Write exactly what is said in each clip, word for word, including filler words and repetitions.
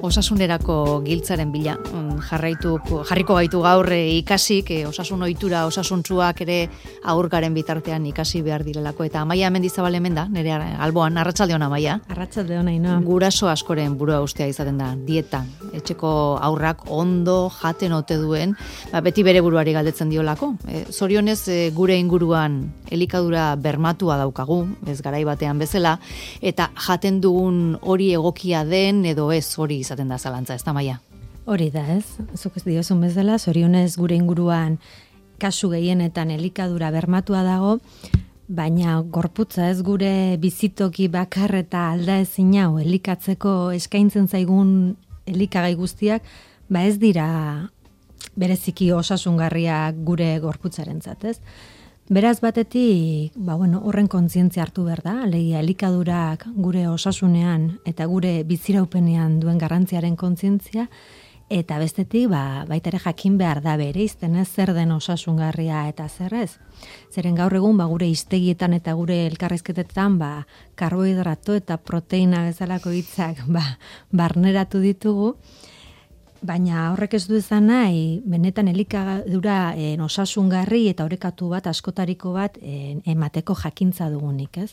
osasunerako giltzaren bila. Jarraitu, jarriko gaitu gaur ikasik, osasun ohitura, osasuntsuak ere aurkaren bitartean ikasi behar direlako. Eta Amaia Mendizabal hemen da, nire alboan, arratsalde ona Amaia. Arratsalde ona, Ainhoa. Guraso askoren burua ustea izaten da, dieta. Etxeko aurrak ondo jaten ote duen, ba, beti bere buruari galdetzen diolako. E, zorionez, e, gure inguruan elikadura bermatua daukagu, ez garai batean bezala, eta jaten dugun hori egokia den edo ez hori izaten da zalantza, ez da Amaia? Hori da, ez? Zuk ez diozun bezala, zorionez gure inguruan kasu gehienetan elikadura bermatua dago, baina gorputza ez gure bizitoki bakar eta aldaezin hau elikatzeko eskaintzen zaigun elikagai guztiak, ba ez dira bereziki osasungarriak gure gorputzarentzat, ez? Beraz batetik, ba bueno, horren kontzientzia hartu behar da, alegia elikadurak gure osasunean eta gure biziraupenean duen garrantziaren kontzientzia, eta bestetik, ba, baita ere jakin behar da bere izten ez zer den osasungarria eta zer ez. Zeren gaur egun, ba, gure hiztegietan eta gure elkarrizketetan, ba, karbohidrato eta proteina bezalako hitzak ba, barneratu ditugu, baina horrek ez du izan nahi, benetan elikadura en, osasungarri eta orekatu bat, askotariko bat en, emateko jakintza dugunik, ez?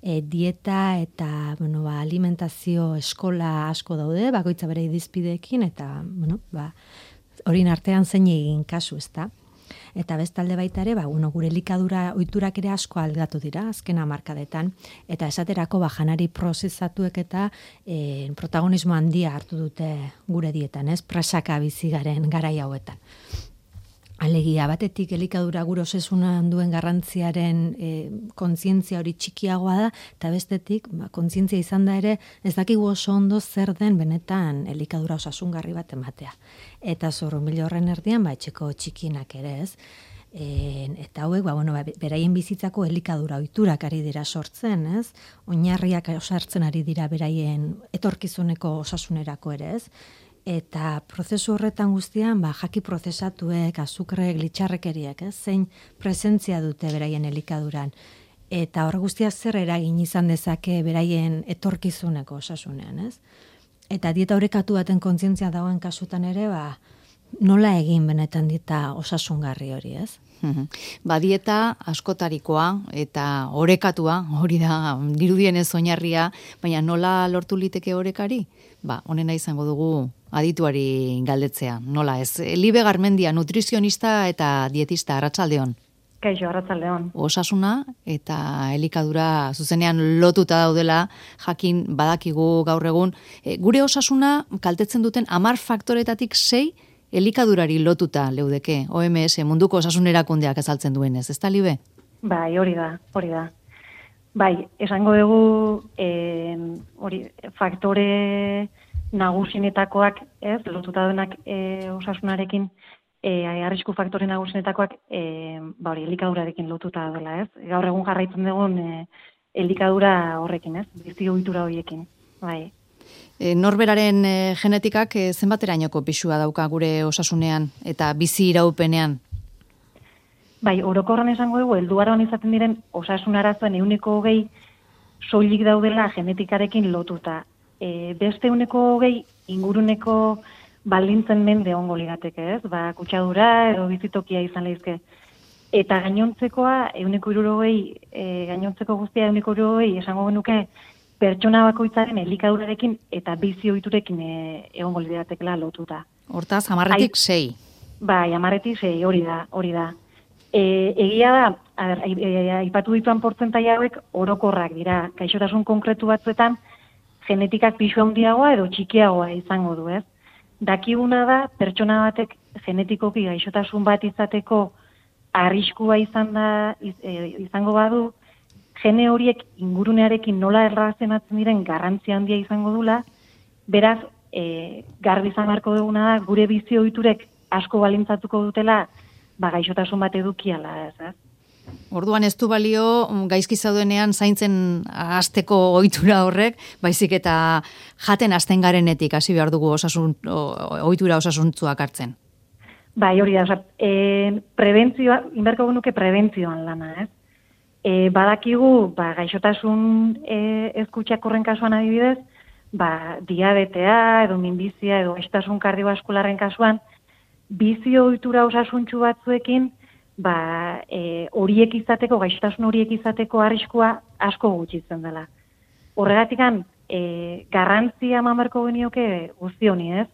E, dieta eta bueno, ba, alimentazio eskola asko daude, bakoitza bere irizpideekin, eta bueno, ba, horin artean zein egin kasu, ezta? Eta bestalde baita ere, ba, bueno, gure elikadura ohiturak ere asko aldatu dira, azken hamarkadetan, eta esaterako ba, janari prozesatuek eta e, protagonismo handia hartu dute gure dietan, ez? Presaka bizi garen garai hauetan. Alegia, batetik elikadura gure osasunan duen garrantziaren e, kontzientzia hori txikiagoa da, eta bestetik ba, kontzientzia izan da ere ez dakigu oso ondo zer den benetan elikadura osasungarri bat ematea. Eta zorrunbilo horren erdian, ba, etxeko txikinak ere ez. E, eta hauek, ba, bueno, ba, beraien bizitzako elikadura ohiturak ari dira sortzen, ez? Oinarriak osartzen ari dira beraien etorkizuneko osasunerako ere, ez? Eta prozesu horretan guztian, ba, jaki prozesatuek, azukrek, litxarrekeriak, ez? Zein presentzia dute beraien elikaduran. Eta hor guztiak zer eragin izan dezake beraien etorkizuneko osasunean, ez? Eta dieta orekatu baten kontzientzia dagoen kasutan ere, ba, nola egin benetan dieta osasungarri hori, ez? Ba, dieta askotarikoa eta orekatua, hori da dirudienez oinarria, baina nola lortu liteke orekari? Ba, honena izango dugu adituari galdetzea, nola ez? Libe Garmendia, nutrizionista eta dietista, arratsaldeon. Kaixo, arratsaldeon. Osasuna eta elikadura zuzenean lotuta daudela, jakin badakigu gaur egun. E, gure osasuna kaltetzen duten hamar faktoretatik sei elikadurari lotuta leudeke, O M S, munduko osasun erakundeak azaltzen duenez, ez da, Libe? Bai, hori da, hori da. Bai, esango dugu eh, hori, faktore nagusinetakoak, ez, lotuta duenak eh, osasunarekin, eh, arrisku faktore nagusinetakoak, eh, ba hori, elikadurarekin lotuta dela, ez? Gaur egun jarraitzen dugun eh, elikadura horrekin, ez? Bizi ohitura horiekin, bai. E, norberaren e, genetikak e, zenbaterainoko pisua dauka gure osasunean eta bizi iraupenean? Bai, orokorren esango dugu, helduaroan izaten diren osasun arazoen ehuneko hogei soilik daudela genetikarekin lotuta. E, beste ehuneko hogei inguruneko baldintzen mende ongo lirateke, ez? Ba, kutsadura edo bizitokia izan lehizke. Eta gainontzekoa, ehuneko hirurogei, e, gainontzeko guztia ehuneko hirurogei esango genuke pertsona bakoitzaren elikadurarekin eta bizi ohiturekin e, egongo liratekela lotuta. Hortaz, hamarretik sei. Bai, hamarretik sei, hori da, hori da. E, egia da, aipatu dituan portzentai hauek orokorrak dira. Gaixotasun konkretu batzuetan genetikak pisu handiagoa edo txikiagoa izango du, ez? Dakiguna da, pertsona batek genetikoki gaixotasun bat izateko arriskua izan da, iz, e, izango badu, gene horiek ingurunearekin nola erlazionatzen diren garrantzia handia izango dula, beraz, e, garbi izan beharko duguna da, gure bizi ohiturek asko balintzatuko dutela, ba, gaixotasun bat edukiala, ez, ez? Orduan ez du balio gaizki zaudenean zaintzen hasteko ohitura horrek, baizik eta jaten hasten garenetik hasi behar dugu osasun ohitura osasuntsuak hartzen. Bai, hori da, osea, e, prebentzioa, inberko genuke prebentzioan lana, ez? E, badakigu, ba, gaixotasun e, ezkutsak horren kasuan adibidez, ba, diabetea edo minbizia edo gaixotasun kardiobaskularren kasuan, bizio ohitura osasuntsu batzuekin, ba, e, horiek izateko, gaixotasun horiek izateko arriskua asko gutxitzen dela. Horregatikan, e, garrantzia eman beharko genioke guzti honi, ez?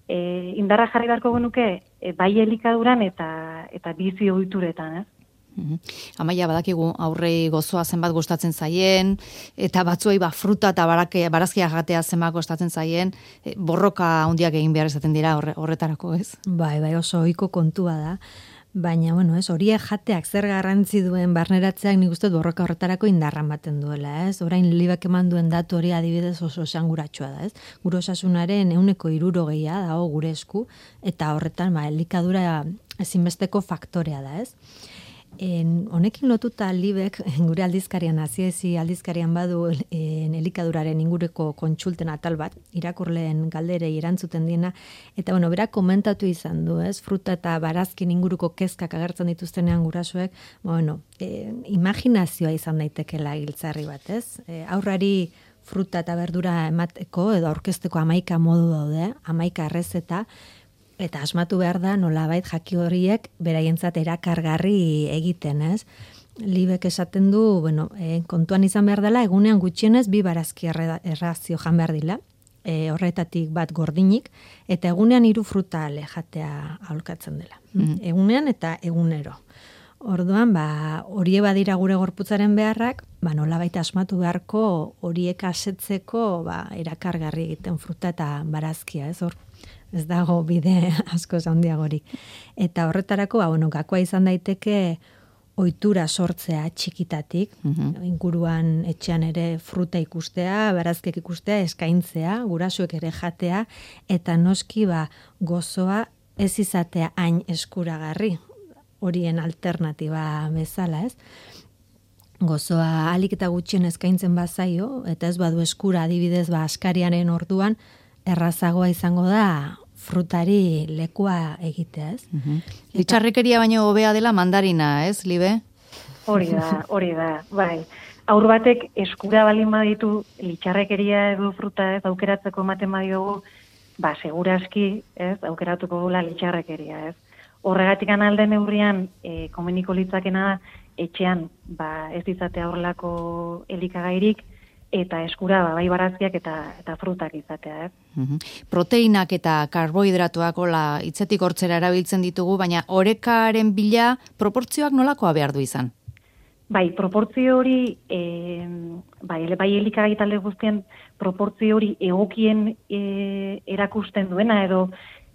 E, indarra jarri beharko genuke e, bai elikaduran eta eta bizi ohituretan, ez? Uhum. Amaia, badakigu aurrei gozoa zenbat gustatzen zaien, eta batzuei ba, fruta eta barazkia jatea zenbat gustatzen zaien, e, borroka handiak egin behar izaten dira horre, horretarako, ez? Bai, bai, oso ohiko kontua da. Baina, bueno, ez, horiek jateak zer garrantzi duen barneratzeak nik uste borroka horretarako indarra ematen duela, ez? Orain Libek eman duen datu hori adibidez oso esanguratsua da, ez? Gure osasunaren ehuneko hirurogeia dago gure esku, eta horretan, ba, elikadura ezinbesteko faktorea da, ez? En, honekin lotuta Libek gure aldizkarian, aziezi aldizkarian badu en, elikaduraren ingureko kontsulten atal bat, irakurleen galderei erantzuten diena, eta bueno, berak komentatu izan du, ez, fruta eta barazkin inguruko kezkak agertzen dituztenean gurasoek, bueno, e, imaginazioa izan daitekela giltzarri bat, ez? E, aurrari fruta eta berdura emateko edo aurkezteko hamaika modu daude, hamaika errezeta, eta asmatu behar da nolabait jaki horiek beraientzat erakargarri egiten, ez? Libek esaten du, bueno, e, kontuan izan behar dela, egunean gutxienez bi barazki errazio jan behar dila, e, horretatik bat gordinik, eta egunean hiru fruta ale jatea aholkatzen dela. Mm-hmm. Egunean eta egunero. Orduan, ba, horie badira gure gorputzaren beharrak, ba, nolabait asmatu beharko horiek asetzeko ba, erakargarri egiten fruta eta barazkia, ez hor? Ez dago bide asko handiagorik. Eta horretarako, ba, bueno, gakoa izan daiteke ohitura sortzea txikitatik, uh-huh. inguruan etxean ere fruta ikustea, barazkek ikustea, eskaintzea, gurasuek ere jatea, eta noski ba, gozoa ez izatea hain eskuragarri, horien alternatiba bezala, ez? Gozoa alik eta gutxien eskaintzen bazaio, eta ez badu eskura adibidez ba, askariaren orduan, errazagoa izango da frutari lekua egitea, ez? Uh-huh. Litxarrekeria baino hobea dela mandarina, ez, Libe? Hori da, hori da, bai. Aur batek eskura balin baditu litxarrekeria edo fruta ez aukeratzeko ematen badiogu, ba, seguraski, ez, aukeratuko gula litxarrekeria, ez? Horregatik alde neurrian, e, komeniko litzakena etxean, ba, ez izatea horrelako elikagairik, eta eskura ba, bai barazkiak eta eta frutak izatea, ez? Uhum. Proteinak eta karbohidratuak hola hitzetik hortzera erabiltzen ditugu, baina orekaren bila proportzioak nolakoa behar du izan? Bai, proportzio hori, e, bai, bai elikagai talde guztien proportzio hori egokien e, erakusten duena edo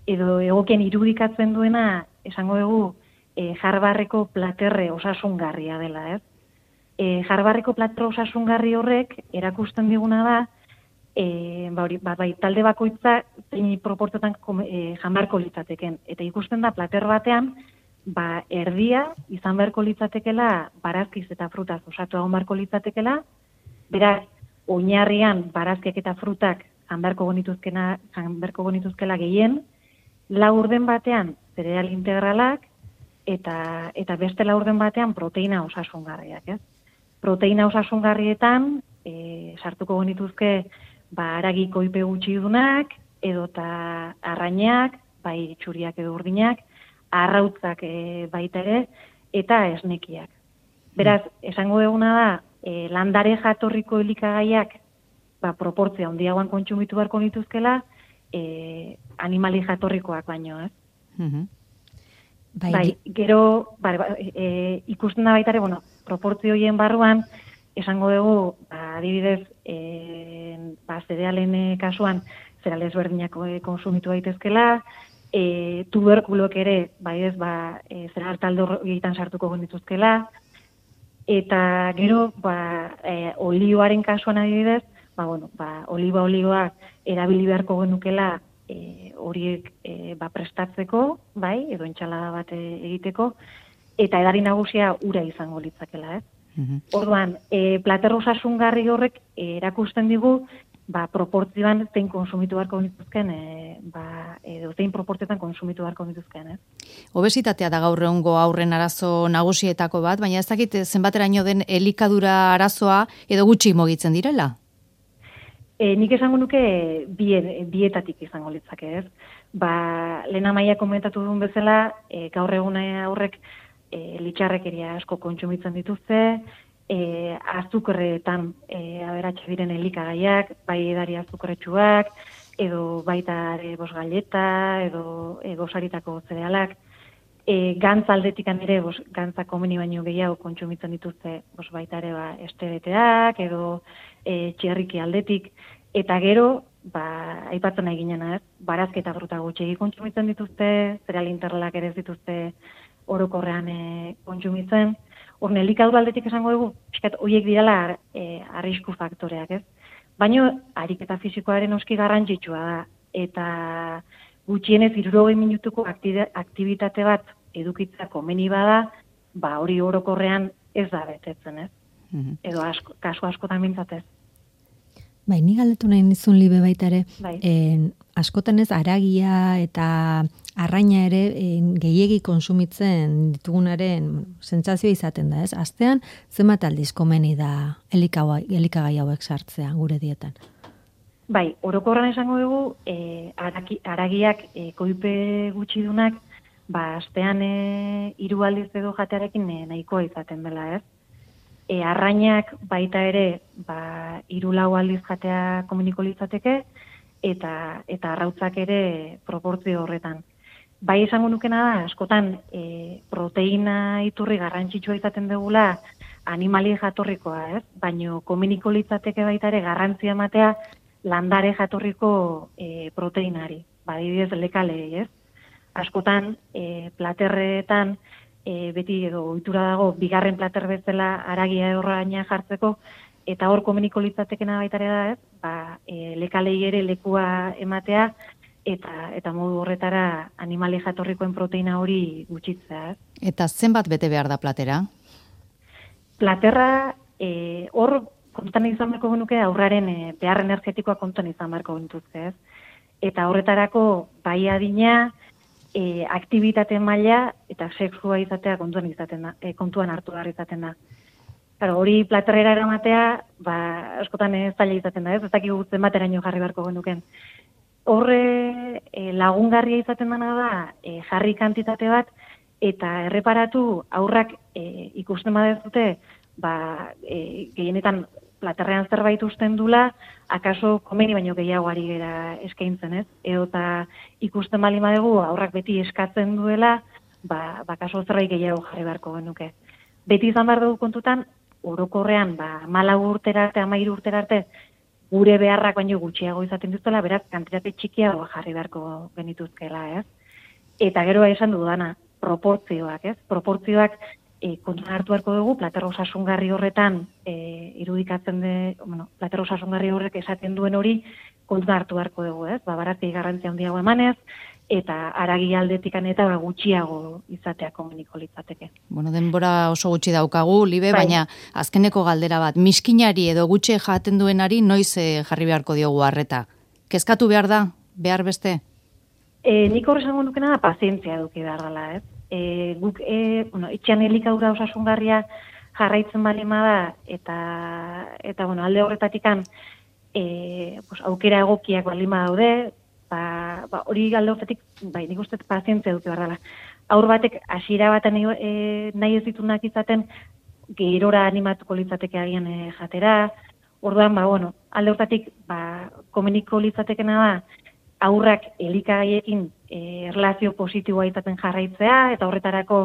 edo egokien irudikatzen duena, esango dugu, e, jarbarreko platerre osasungarria dela, ez? E, jarbarreko platerre osasungarri horrek erakusten diguna da, e, ba, hori, ba, bai, talde bakoitza zein proportziotan e, janbarko litzateken. Eta ikusten da plater batean, ba, erdia izan beharko litzatekela barazkiz eta frutaz osatu egon beharko litzatekela, beraz, oinarrian barazkiak eta frutak janbarko genituzkena, janbarko genituzkela gehien, laurden batean zereal integralak, eta, eta beste laurden batean proteina osasungarriak, ez? Proteina osasungarrietan, e, sartuko genituzke, ba, aragi koipe gutxidunak, edota arrainak, bai txuriak edo urdinak, arrautzak e, baita ere, eta esnekiak. Beraz, esango duguna da, e, landare jatorriko elikagaiak, ba, proportzia handiagoan kontsumitu beharko nituzkela, e, animali jatorrikoak baino, ez? Mhm. Bai, bai, gero, bai, e, ikusten da baita ere, bueno, proportzio horien barruan, esango dugu, ba, adibidez, e, ba, zerealen kasuan, zereales berdinak konsumitu daitezkela, e, tuberkulok ere, bai ez, ba, e, zereal talde horietan sartuko genituzkela, eta gero, ba, e, olioaren kasuan adibidez, ba, bueno, ba, oliba olioa erabili beharko genukela, E, horiek e, ba, prestatzeko, bai, edo entxalada bat egiteko, eta edari nagusia ura izango litzakela, ez? Mm-hmm. Orduan, e, plater osasungarri horrek e, erakusten digu, ba, proportzioan zein konsumitu beharko nituzken, e, ba, edo zein proportzioetan konsumitu beharko nituzken, ez? Obesitatea da gaur egungo haurren arazo nagusietako bat, baina ez dakit zenbateraino den elikadura arazoa edo gutxi mugitzen direla? E, nik esango nuke bien, bietatik izango litzake, ez? Ba, lehen amaia komentatu duen bezala, e, gaur egun aurrek e, litxarrekeria asko kontsumitzen dituzte, e, azukerretan e, aberatxe diren elikagaiak, bai edari azukerretsuak, edo baita ere bos galleta, edo e, gosaritako zerealak, e, gantz aldetikan ere, bos, gantza komeni baino gehiago kontsumitzen dituzte, bos baita ere ba, estebeteak, edo e, txerriki aldetik, eta gero, ba, aipatzen nahi ginena, ez? Barazketa fruta gutxegi kontsumitzen dituzte, zereal interrelak ere ez dituzte orokorrean e, kontsumitzen. Hor, elikadura aldetik esango dugu, pixkat, horiek direla e, arrisku faktoreak, ez? Baina, ariketa fisikoaren oski garrantzitsua da, eta gutxienez hirurogei minutuko aktibitate bat edukitzea komeni bada, ba hori orokorrean ez da betetzen, ez? Mm-hmm. Edo asko, kasu askotan mintzatez. Bai, ni galdetu nahi nizun libe baita ere, bai. en, askotan ez aragia eta arraina ere en, gehiegi konsumitzen ditugunaren sentsazioa izaten da, ez? Astean, zenbat aldiz komeni da elikagai hauek sartzea gure dietan? Bai, orokorran esango dugu, e, araki, aragiak e, koipe gutxidunak, ba, astean e, hiru aldiz edo jatearekin e, nahikoa izaten dela, ez? E, arrainak baita ere, ba, hiru lau aldiz jatea komuniko litzateke, eta, eta arrautzak ere proportzio horretan. Bai esango nukena da, askotan e, proteina iturri garrantzitsua izaten dugula animali jatorrikoa, ez? Baino komuniko litzateke baita ere garrantzia ematea landare jatorriko e, proteinari, badibidez lekalei, ez? Askotan, e, platerretan, e, beti edo ohitura dago, bigarren plater bezala aragia horraina jartzeko, eta hor komuniko litzatekena baita ere da, ez? Ba, e, lekalei ere lekua ematea, eta eta modu horretara animali jatorrikoen proteina hori gutxitzea, ez? Eta zenbat bete behar da platera? Platerra, e, hor, kontutan izan beharko genuke aurraren e, behar energetikoa kontutan izan beharko genituzke, ez? Eta horretarako bai adina, e, aktibitate maila eta sexua izatea kontuan izaten da, e, kontuan hartu behar izaten da. Claro, hori platerrera eramatea, ba, askotan ez zaila izaten da, ez? Ez dakigu zenbateraino jarri beharko genuken. Horre e, lagungarria izaten dena da e, jarri kantitate bat eta erreparatu aurrak e, ikusten badezute, ba, e, gehienetan platerrean zerbait usten dula, akaso komeni baino gehiago ari gera eskaintzen, ez? Edo eta ikusten bali badegu aurrak beti eskatzen duela, ba, ba kaso zerbait gehiago jarri beharko genuke. Beti izan behar dugu kontutan, orokorrean, ba, malau urtera arte, amairu urtera arte, gure beharrak baino gutxiago izaten dutela, beraz, kantitate txikiago jarri beharko genituzkela, ez? Eta gero esan dudana, proportzioak, ez? Proportzioak E, kontuan hartu beharko dugu, plater osasungarri horretan e, irudikatzen de, bueno, plater osasungarri horrek esaten duen hori kontuan hartu beharko dugu, ez? Ba, barazki garrantzia handiago emanez, eta aragi aldetikan eta gutxiago izatea komuniko litzateke. Bueno, denbora oso gutxi daukagu, Libe, bai. Baina azkeneko galdera bat, miskinari edo gutxe jaten duenari noiz e, jarri beharko diogu harreta? Kezkatu behar da, behar beste? E, nik horre esango nukena da pazientzia eduki behar dela, ez? E, guk, e, bueno, etxean elikadura osasungarria jarraitzen balima da, eta, eta bueno, alde horretatikan e, pues, aukera egokiak balima daude, ba, ba, hori alde horretik, bai, nik uste pazientzia eduki behar dela. Aur batek hasiera baten e, nahi ez ditunak izaten, gerora animatuko litzateke agian e, jatera, orduan, ba, bueno, alde horretik, ba, komuniko litzatekena da, aurrak elikagaiekin e, erlazio positiboa izaten jarraitzea, eta horretarako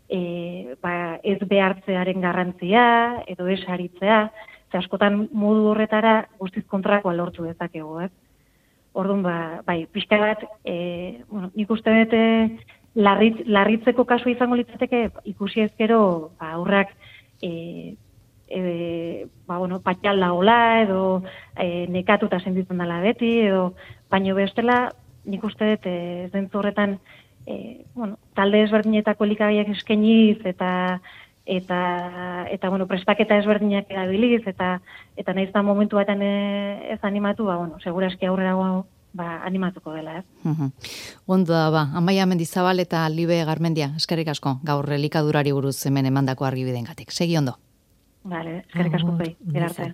e, ba, ez behartzearen garrantzia, edo ez haritzea, ze askotan modu horretara guztiz kontrakoa lortu dezakegu, ez? Orduan, ba, bai, pixka bat, e, bueno, nik uste dut larritz, larritzeko kasu izango litzateke ikusi ezkero ba, aurrak e, E, ba, bueno, patxal dagoela, edo e, nekatuta sentitzen dela beti, edo baino bestela, nik uste dut e, zentzu horretan e, bueno, talde ezberdinetako elikagaiak eskainiz eta eta eta bueno, prestaketa ezberdinak erabiliz eta eta naiz da momentu batean e, ez animatu, ba bueno, segurazki aurrerago ba animatuko dela, ez? Uh-huh. Ondo da ba, Amaia Mendizabal eta Libe Garmendia, eskerrik asko gaur elikadurari buruz hemen emandako argibidengatik. Segi ondo. Vale, eskerrik asko zuei. Gerarte.